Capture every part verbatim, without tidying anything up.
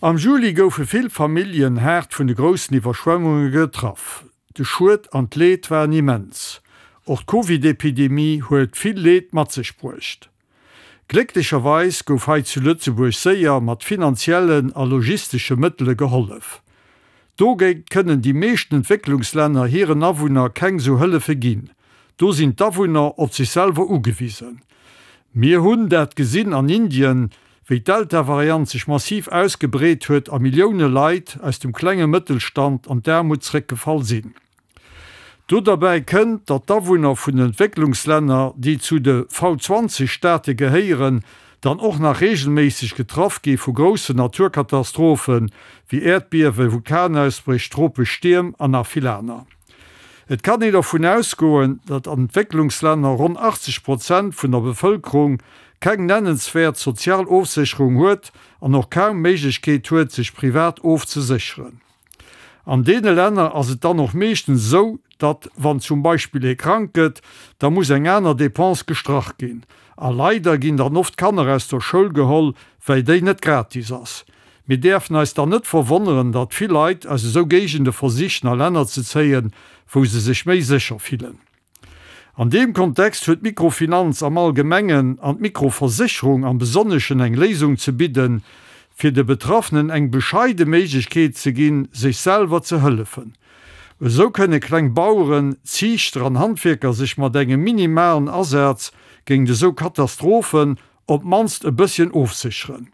Am Juli goufe vill Familljen haart vun de groussen Iwwerschwemmunge getraff. De Schued an d'Leed waren immens. Och d'Covid-Epidemie huet vill Leed mat sech bruecht. Glécklecherweis gouf hei zu Lëtzebuerg séier mat finanziellen a logistesche Mëttele gehollef. Dogéint kënnen déi meeschten Entwécklungslänner hiren Awunner keng sou Hëllefe ginn. Do sinn d'Awunner op sech selwer ugewisen. Mir hunn dat gesinn an Indien, wéi d'Delta-Variant sech massiv ausgebreet huet a Millioune Leit aus dem klenge Mëttelstand an d'Aarmut zréckgefall sinn. Do derbäi kënnt, datt d'Awunner vun den Entwécklungslänner, déi zu de V zwanzeg Staate gehéieren, dann och nach reegelméisseg getraff gi vu groussen Naturkatastrophen, wéi Äerdbiewen, Vulkanausbréch, tropesch Stierm an nach vill aner. Et kann een dervun ausgoen, datt an Entwécklungslänner ronn achtzeg Prozent vun der Bevëlkerung keng nennenswäert sozial Ofsécherung huet an och kaum Méiglechkeet huet, sech privat ofzesécheren. An deene Länner ass et dann och meeschtens esou, datt wann zum Beispill ee krank gëtt, da muss eng aner Dépense gestrach ginn. A leider ginn dann oft d'Kanner aus der Schoul geholl, well déi net gratis ass. Mir däerfen eis dann net verwonneren, datt vill Leit aus esou Géigende versichen a Länner ze zéien, wou se sech méi sécher fillen. An deem Kontext huet d'Mikrofinanz am Allgemengen an d'Mikroversécherung am Besonneschen eng Léisung ze bidden, fir de Betraffenen eng bescheide Méiglechkeet ze ginn, sech selwer ze hëllefen. Esou kënne kleng Baueren, Ziichter an Handwierker sech mat engem minimalen Asaz géint esou Katastrophen op d'mannst e bësschen ofsécheren.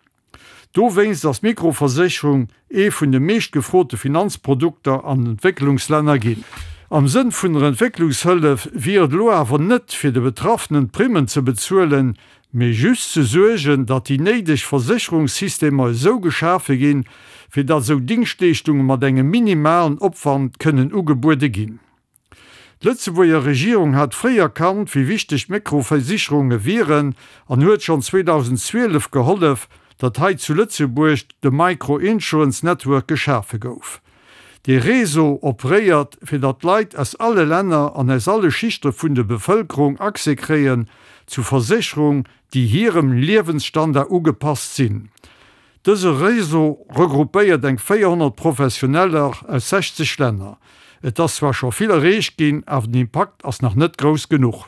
Dowéinst ass d'Mikroversécherung ee vun de meescht gefrote Finanzprodukter an den Entwécklungslänner ginn. Am Sënn vun der Entwécklungshëllef wier et elo awer net, fir de Betraffenen d'Primmen ze bezuelen, mee just ze suergen, datt déi néideg Versécherungssystemer esou geschafe ginn, fir datt esou Dingschtleeschtunge mat engem minimalen Opwand kënnen ugebuede ginn. D'Lëtzebuerger Regierung hat fréi erkannt, wéi wichteg d'Mikroversicherunge wieren an huet schonn zweedausendzwielef gehollef, datt hei zu Lëtzebuerg de Micro-Insurance Network geschafe gouf. Dee Réseau operéiert, fir datt Leit aus alle Länner an aus alle Schichte vun de Bevëlkerung Accès kréien zu Versécherung, déi hirem Liewensstandard ugepasst sinn. Dëse Réseau regroupéiert eng véierhonnert Professioneller aus sechzeg Länner. Et ass zwar scho vill erreecht ginn, awer den Impakt ass nach net grouss genuch.